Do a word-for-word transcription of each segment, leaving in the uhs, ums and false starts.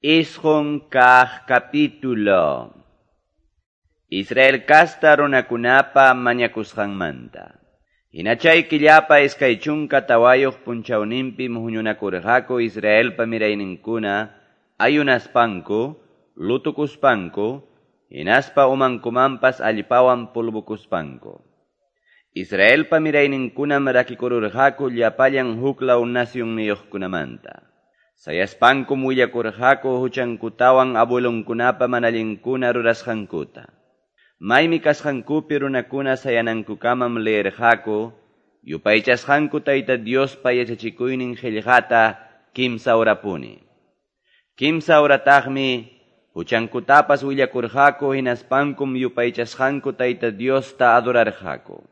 Isqun kaq capítulo. Israel kasta runakunapa mañakusqanmanta. Hina chay killapa iskay chunka tawayuq punchawninpim huñunakurqaku Israelpa mirayninkuna ayunaspanku, lutukuspanku, hinaspa umankumanpas allpawan polvokuspanku. Israelpa mirayninkunam rakikururqaku llapallan huklaw nacionniyuqkunamanta. Sayaspankum willakurqaku huchankutawan abuelonkunapa manallinkuna rurasqankuta. Maymi kasqankupi runakuna sayanankukamam leerqaku, yupaychasqanku Tayta Diospa yachachikuynin qillqata kimsa horapuni. Kimsa horataqmi huchankutapas willakurqaku hinaspankum yupaychasqanku Tayta Diosta adorarqaku.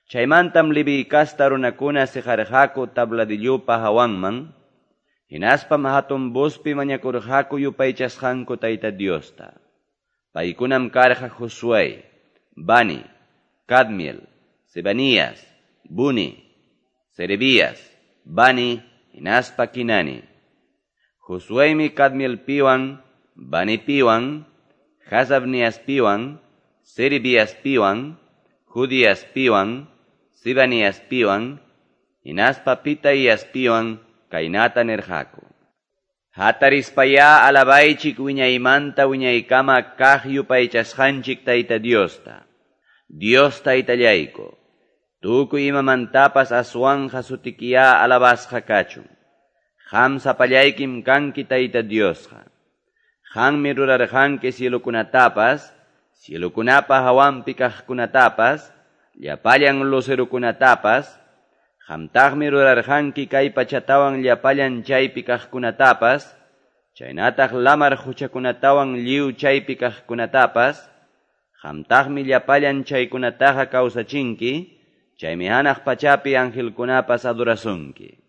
Chaymantam Leví kasta runakuna siqarqaku tabladillupa hawanman, hinaspam hatun vozpi mañakurqaku yupaychasqanku Tayta Diosta. Paykunam karqa Josué, Bani, Cadmiel, Sebanías, Buni, Serebías, Bani, hinaspa Kinani. Josuémi Cadmielpiwan, Banipiwan, Hasabniaspiwan, Serebiaspiwan, Judiaspiwan, Sibaniaspiwan, hinaspa Pitaiaspiwan, kaynata nirqaku. Hatarispayá alabaychik wiñaymanta wiñaykama kaq yupaychasqanchik Tayta Diosta. Dios Taytallayku, tukuy imamantapas aswanqa sutikiyá alabasqa kachun. Qam sapallaykim kanki Tayta Diosqa. Qammi rurarqanki cielokunatapas, cielokunapa hawanpi kaqkunatapas, llapallan lucerokunatapas, qamtaqmi rurarqanki kay pachatawan llapallan chaypi kaqkunatapas, chaynataq lamar huchakunatawan lliw chaypi kaqkunatapas, qamtaqmi llapallan chaykunataqa kawsachinki, chaymi hanaq pachapi angelkunapas adorasunki.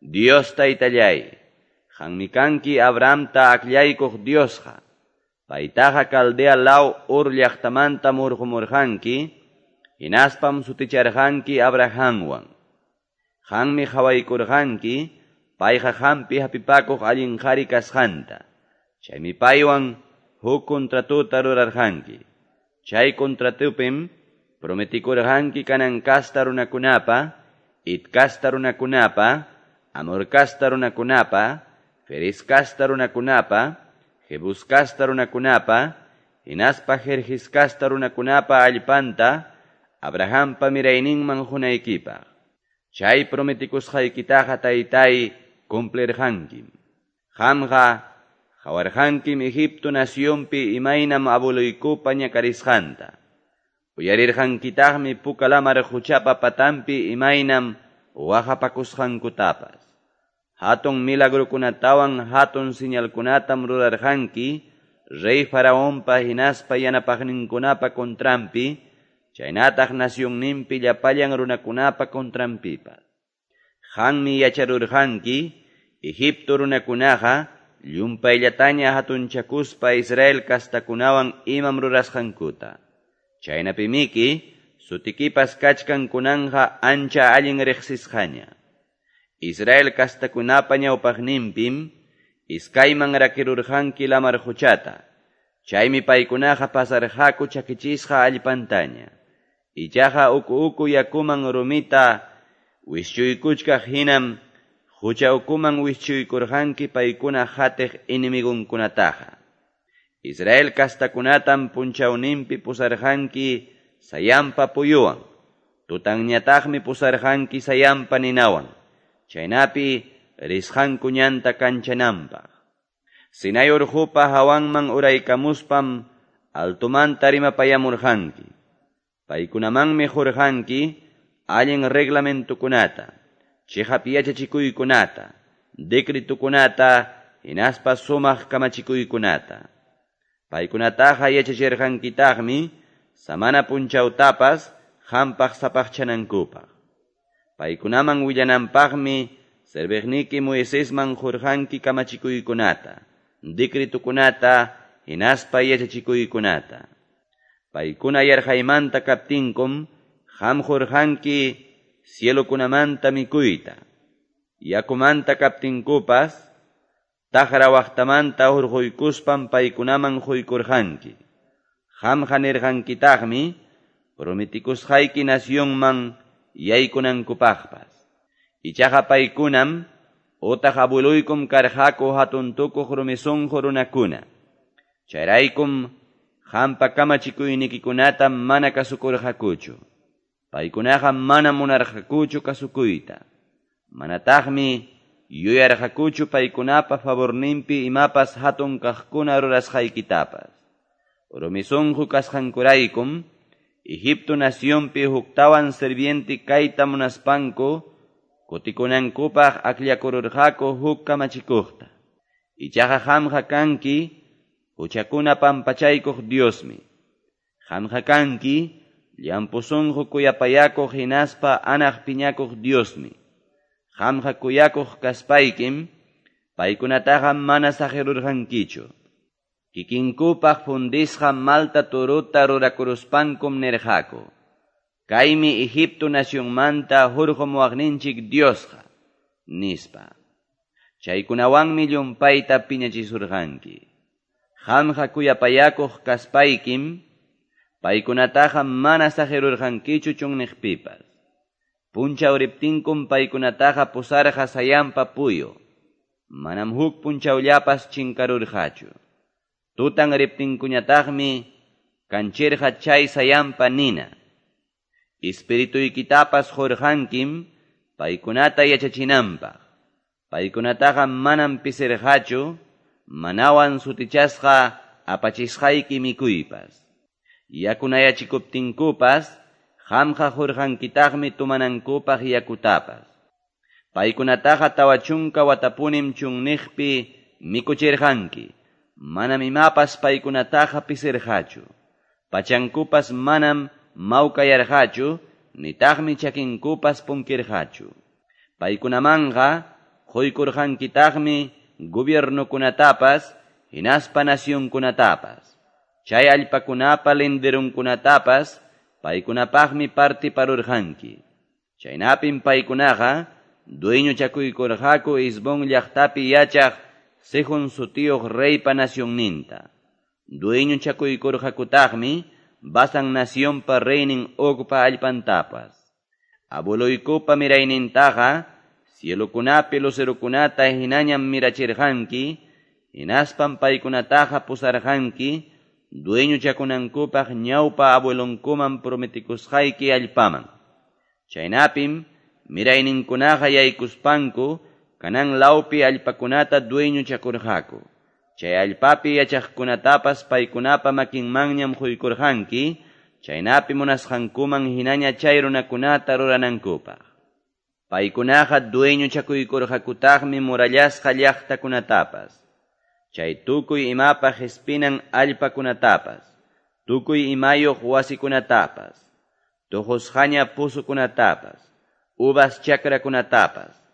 Dios Taytallay, qammi kanki Abrahamta akllaykuq Diosqa, paytaqa Caldea law Ur llaqtamanta murqumurqanki, hinaspam suticharqanki Abrahamwan. Qammi qhawaykurqanki, payqa qampi hapipakuq allin qhari kasqanta. Chaymi paywan huk contratuta rurarqanki. Chay contratupim prometikurqanki Canaán kasta runakunapa, Het kasta runakunapa, Amor kasta runakunapa, Ferez kasta runakunapa, Jebús kasta runakunapa, hinaspa Gerges kasta runakunapa allpanta, Abrahampa mirayninman qunaykipaq. Chay prometikusqaykitaqa taytay cumplirqankim. Qamqa qawarqankim Egipto nacionpi imaynam abueluykupa ñakarisqanta. Uyarirqankitaqmi Puka lamar quchapa patanpi imaynam waqapakusqankutapas. Hatun milagrokunatawan hatun señalkunatam rurarqanki rey Faraonpa hinaspa yanapaqninkunapa contranpi, chaynataq nacionninpi llapallan runakunapa contranpipas. Qammi yacharurqanki Egipto runakunaqa llumpayllataña hatunchakuspa Israel kastakunawan imam rurasqankuta. Chaynapimiki sutikipas kachkan kunanqa ancha allin riqsisqaña. Israel kastakunapa ñawpaqninpim iskayman rakirurqanki lamar quchata. Chaymi paykunaqa pasarqaku chakichisqa allpantaña. Ichaqa uku uku yakuman rumita wischuykuchkaq hinam hucha ukuman wischuykurqanki paykuna qatiq enemigunkunataqa. Israel kastakunatam punchawninpi pusarqanki sayanpa puyuwan, tutanñataqmi pusarqanki sayanpa ninawan, chaynapi risqanku ñanta kanchananpaq. Sinai urqupa hawanman uraykamuspam altumanta rimapayamurqanki. Paykunamanmi qurqanki allin reglamentukunata, chiqap yachachikuykunata, decretukunata, hinaspa sumaq kamachikuykunata. Paykunataqa yachachirqankitaqmi samana punchawtapas qampaq sapaqchanankupaq. Paykunaman willananpaqmi serviqniki Moisesman qurqanki kamachikuykunata, decretukunata, hinaspa yachachikuykunata. Paykuna yarqaymanta kaptinkum qam qurqanki cielokunamanta mikuyta, yakumanta kaptinkupas taqra waqtamanta hurquykuspan paykunaman quykurqanki. Qamqa nirqankitaqmi prometikusqayki nacionman yaykunankupaqpas. Ichaqa paykunam utaq abueluykum karqaku hatun tukuq rumi sunqu runakuna. Chayraykum qampa kamachikuynikikunata mana kasukurqakuchu. Paykunaqa mana munarqakuchu kasukuyta. Manataqmi yuyarqakuchu paykunapa favorninpi imapas hatun kaqkuna rurasqaykitapas. Rumi sunqu kasqankuraykum Egipto nacionpi huktawan sirviente kayta munaspanku kutikunankupaq akllakururqaku huk kamachikuqta. Ichaqa qamqa kanki huchakuna pampachaykuq Diosmi. Qamqa kanki llampu sunqu kuyapayakuq hinaspa anaq piñakuq Diosmi. Qamqa kuyakuq kaspaykim paykunataqa mana saqirurqankichu. Kikinkupaq fundisqa malta turuta rurakuruspankum nirqaku: Kaymi Egipto nacionmanta hurqumuwaqninchik Diosqa, nispa. Chaykunawanmi llumpayta piñachisurqanki. Qamqa kuyapayakuq kaspaykim paykunataqa mana saqirurqankichu chunniqpipas. Punchaw riptinkum paykunataqa pusarqa sayanpa puyu. Manam huk punchawllapas chinkarurqachu. Tutan riptinkuñataqmi kanchirqa chay sayanpa nina. Espirituykitapas qurqankim paykunata yachachinanpaq. Paykunataqa manam pisirqachu, manawan sutichasqa apachisqayki mikuypas. Yakunayachikuptinkupas qamqa qurqankitaqmi tumanankupaq yakutapas. Paykunataqa tawa chunka watapunim chunniqpi mikuchirqanki. Manam imapas paykunataqa pisirqachu. Pachankupas manam mawkayarqachu, nitaqmi chakinkupas punkirqachu. Paykunamanqa quykurqankitaqmi gobiernokunatapas hinaspa nacionkunatapas. Chay allpakunapa linderunkunatapas paykunapaqmi partiparurqanki. Chaynapim paykunaqa dueñochakuykurqaku Hesbón llaqtapi yachaq Sehón sutiyuq reypa nacionninta. Dueñochakuykurqakutaqmi Basan nacionpa reynin Ogpa allpantapas. Abueluykupa miraynintaqa cielokunapi lucerokunata hinañam mirachirqanki, hinaspam paykunataqa pusarqanki dueñochakunankupaq ñawpa abuelonkuman prometikusqayki allpaman. Chaynapim mirayninkunaqa yaykuspanku Canaán lawpi allpakunata dueñochakurqaku. Chay allpapi yachaqkunatapas paykunapa makinmanñam quykurqanki, chaynapi munasqankuman hinaña chay runakunata ruranankupaq. Paykunaqa dueñochakuykurqakutaqmi murallasqa llaqtakunatapas, chay tukuy imapaq espinan allpakunatapas, tukuy imayuq wasikunatapas, tuqusqaña pusukunatapas, uvas chakrakunatapas,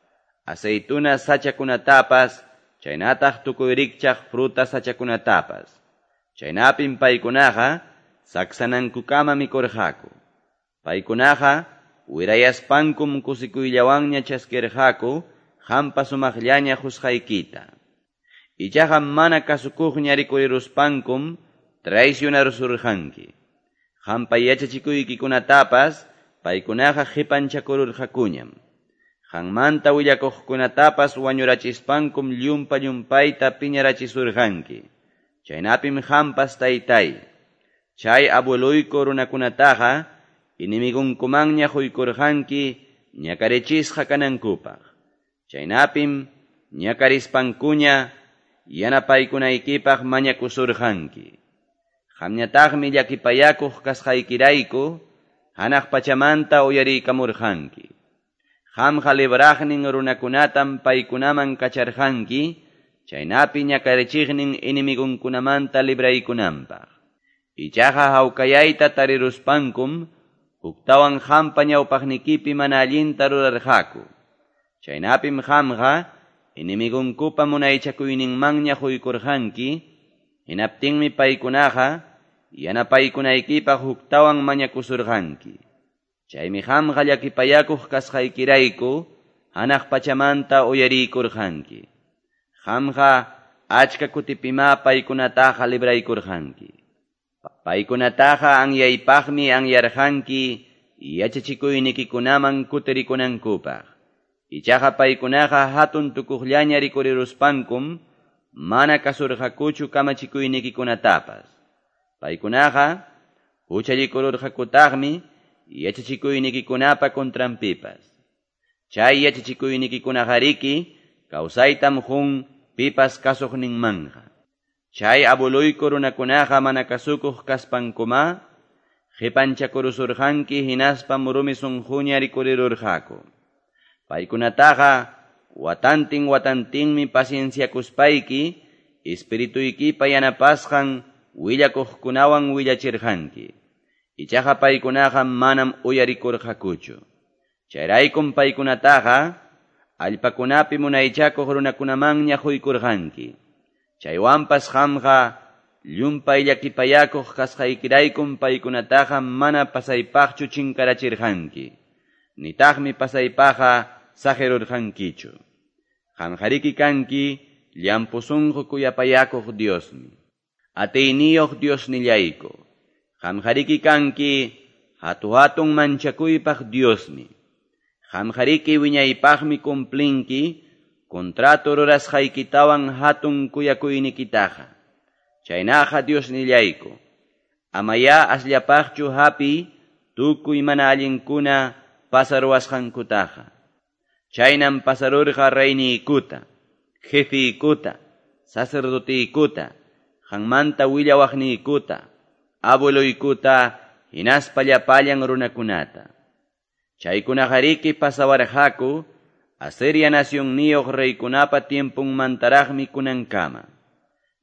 aceituna sachakunatapas, chaynataq tukuy rikchaq fruta sachakunatapas. Chaynapim paykunaqa saksanankukama mikurqaku. Paykunaqa wirayaspankum kusikuyllawanña chaskirqaku qampa sumaqllaña qusqaykita. Ichaqa mana kasukuqña rikuriruspankum traicionarusurqanki. Qampa yachachikuykikunatapas paykunaqa qipanchakururqakuñam. Qanmanta willakuqkunatapas wañurachispankum llumpa llumpayta piñarachisurqanki. Chaynapim qampas taytay, chay abueluyku runakunataqa enemigunkumanña quykurqanki ñakarichisqa kanankupaq. Chaynapim ñakarispankuña yanapaykunaykipaq mañakusurqanki. Qamñataqmi llakipayakuq kasqaykirayku hanaq pachamanta uyariykamurqanki. Qamqa libraqnin runakunatam paykunaman kacharqanki, chaynapi ñakarichiqnin enemigunkunamanta libraykunanpaq. Ichaqa hawkayayta tariruspankum huktawan qampa ñawpaqnikipi mana allinta rurarqaku. Chaynapim qamqa enemigunkupa munaychakuyninmanña quykurqanki, hinaptinmi paykunaqa yanapaykunaykipaq huktawan mañakusurqanki. Chaymi qamqa llakipayakuq kasqaykirayku hanaq pachamanta uyariykurqanki. Qamqa Achka kutipimá paykunataqa libraykurqanki. Paykunataqa anyaypaqmi anyarqanki yachachikuynikikunaman kutirikunankupaq. Ichaqa paykunaqa hatun tukuqllaña rikuriruspankum mana kasurqakuchu kamachikuynikikunatapas. Paykunaqa huchallikururqakutaqmi yachachikuynikikunapa contranpipas. Chay yachachikuynikikunaqariki kawsaytam qun pipas kasuqninmanja. Chay abueluyku runakunaqa mana kasukuq kaspankuma qipanchakurusurqanki hinaspam rumi sunquña rikurirurqaku. Paykunataqa watantin watantinmi pacienciakuspayki espirituykipa yanapasqan willakuqkunawan willachirqanki. Ichaqa paykunaqa manam uyarikurqakuchu. Chayraykum paykunataqa allpakunapi munaychakuq runakunamanña quykurqanki. Chaywanpas qamqa llumpay llakipayakuq kasqaykiraykum paykunataqa mana pasaypaqchu chinkarachirqanki. Nitaqmi pasaypaqqa saqirurqankichu. Qamqariki kanki llampu sunqu kuyapayakuq Diosmi. Atiyniyuq Diosnillayku. Qamqariki kanki hatu-hatun manchakuypaq Diosmi. Qamqariki wiñaypaqmi cumplinki contrato rurasqaykitawan hatun kuyakuynikitaqa. Chaynaqa Diosnillayku. Amaya asllapaqchu hapi tukuy mana allinkuna pasaruwasqankutaqa. Chaynam pasarurqa reyniykuta, jefiykuta, sacerdotiykuta, qanmanta willawaqniykuta, abueluykuta, hinaspa llapallan runakunata. Chaykunaqariki pasawarqaku Asiria nacionniyuq reykunapa tiempunmantaraqmi kunankama.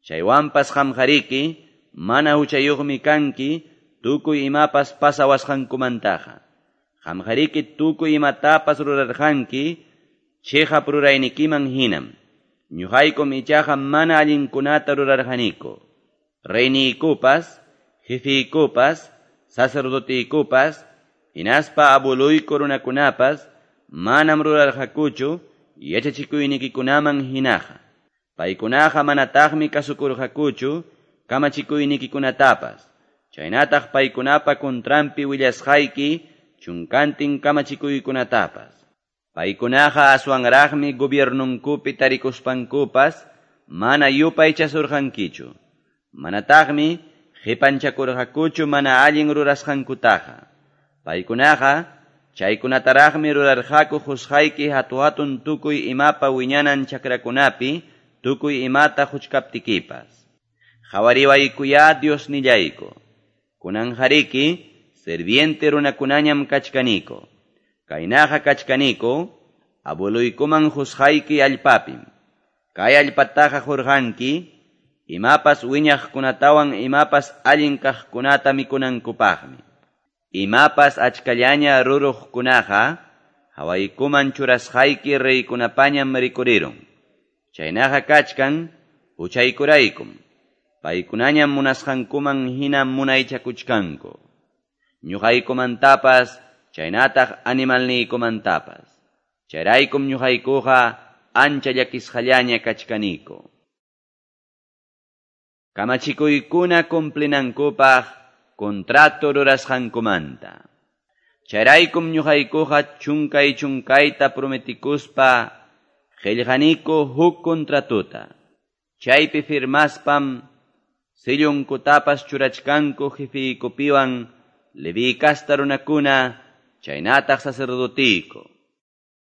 Chaywanpas qamqariki mana huchayuqmi kanki tukuy imapas pasawasqankumantaqa. Qamqariki tukuy imatapas rurarqanki chiqap ruraynikiman hinam. Ñuqaykum ichaqa mana allinkunata rurarqaniku. Reyniykupas, jefiykupas, sacerdotiykupas, hinaspa abueluyku runakunapas manam rurarqakuchu yachachikuynikikunaman hinaqa. Paykunaqa manataqmi kasukurqakuchu kamachikuynikikunatapas. Chaynataq paykunapa contranpi willasqayki chunkantin kamachikuykunatapas. Paykunaqa aswanraqmi gobiernunkupi tarikuspankupas mana yupaychasurqankichu. Manataqmi qipanchakurqakuchu mana allin rurasqankutaqa. Paykunaqa chaykunataraqmi rurarqaku qusqayki hatu-hatun tukuy imapa wiñanan chakrakunapi tukuy imata huchkaptikipas. Qhawariwaykuyá Diosnillayku. Kunanqariki serviente runakunañam kachkaniko. Kaynaqa kachkaniko abueluykuman qusqayki allpapim. Kay allpataqa qurqanki imapas wiñaqkunatawan imapas allin kaqkunata mikunankupaqmi. Imapas achkallaña ruruqkunaqa hawaykuman churasqayki reykunapañam rikurirun. Chaynaqa kachkan huchaykuraykum. Paykunañam munasqankuman hina munaychakuchkanku. Ñuqaykumantapas chaynataq animalniykumantapas. Chayraykum ñuqaykuqa ancha llakisqallaña kachkaniku. Kamachikuykuna cumplinankupaq contrato rurasqankumanta. Chayraykum ñuqaykuqa chunkay chunkayta prometikuspa qillqaniku huk contratuta. Chaypi firmaspam sillunkutapas churachkanku jefiykupiwan Leví kasta runakuna chaynataq sacerdotiyku.